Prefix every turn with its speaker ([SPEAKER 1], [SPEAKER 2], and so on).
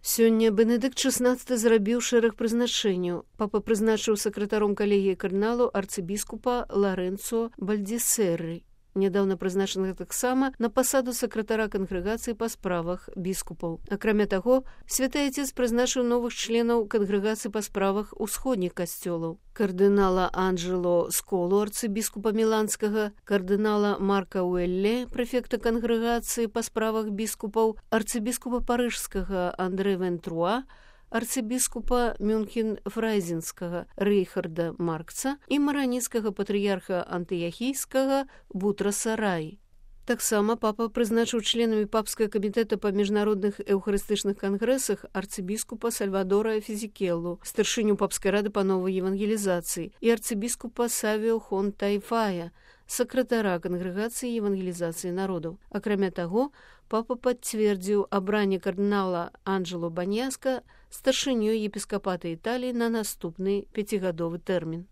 [SPEAKER 1] Сёння Бенедыкт XVI зрабіў шэраг прызначэнняў. Папа прызначыў сакратаром калегіі кардыналу арцыбіскупа Ларэнцо Бальдзесерры, нядаўна прызначанага таксама на пасаду сакратара кангрэгацыі па справах біскупаў. Акрамя таго, святы Отец прызначыў новых членаў кангрэгацыі па справах усходніх касцёлаў: кардынала Анджело Сколу, арцыбіскупа Міланскага, кардынала Марка Уэлле, прэфекта кангрэгацыі па справах біскупаў, арцыбіскупа Парыжскага Андре Вентруа, арцыбіскупа Мюнхен-Фрайзенскага Рейхарда Маркца і мараніцкага патрыярха антыяхійскага Бутраса Раі. Таксама папа прызначыў членамі папскага камітэта па міжнародных эўхарыстычных кангрэсах арцыбіскупа Сальвадора Фізікеллу, старшыню папскай рады па новай евангелізацыі, і арцыбіскупа Савіо Хон Тайфая, сакратара кангрэгацыі евангелізацыі народаў. Акрамя таго, папа пацвердзіў абранне кардынала Анджело Баньяска старшынёй епіскапата Італіі на наступны 5-гадовы тэрмін.